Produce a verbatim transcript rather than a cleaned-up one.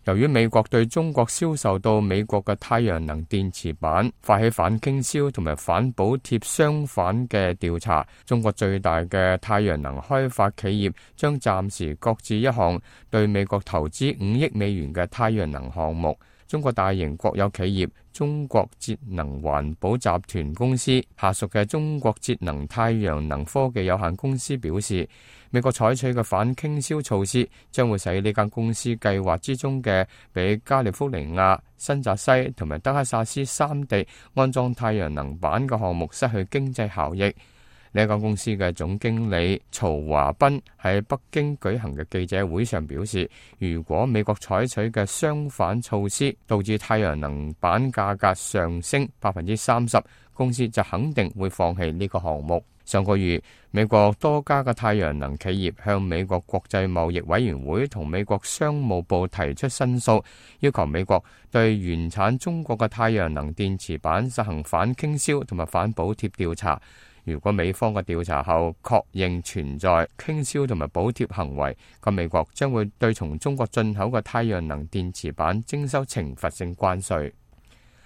由於美國對中國銷售到美國嘅太陽能電池板發起反傾銷同埋反補貼相反嘅調查，中國最大嘅太陽能開發企業將暫時擱置一項對美國投資五億美元嘅太陽能項目。中國大型國有企業中國節能環保集團公司下屬嘅中國節能太陽能科技有限公司表示，美國採取嘅反傾銷措施將會使呢間公司計劃之中嘅俾加利福尼亞、新澤西同埋德克薩斯三地安裝太陽能板嘅項目失去經濟效益。呢一間公司嘅總經理曹華斌喺北京舉行嘅記者會上表示，如果美國採取嘅相反措施導致太陽能板價格上升百分之三十，公司就肯定會放棄呢個項目。上個月，美國多家嘅太陽能企業向美國國際貿易委員會同美國商務部提出申訴，要求美國對原產中國嘅太陽能電池板實行反傾銷同埋反補貼調查。如果美方嘅調查後確認存在傾銷同埋補貼行為，咁美國將會對從中國進口嘅太陽能電池板徵收懲罰性關稅。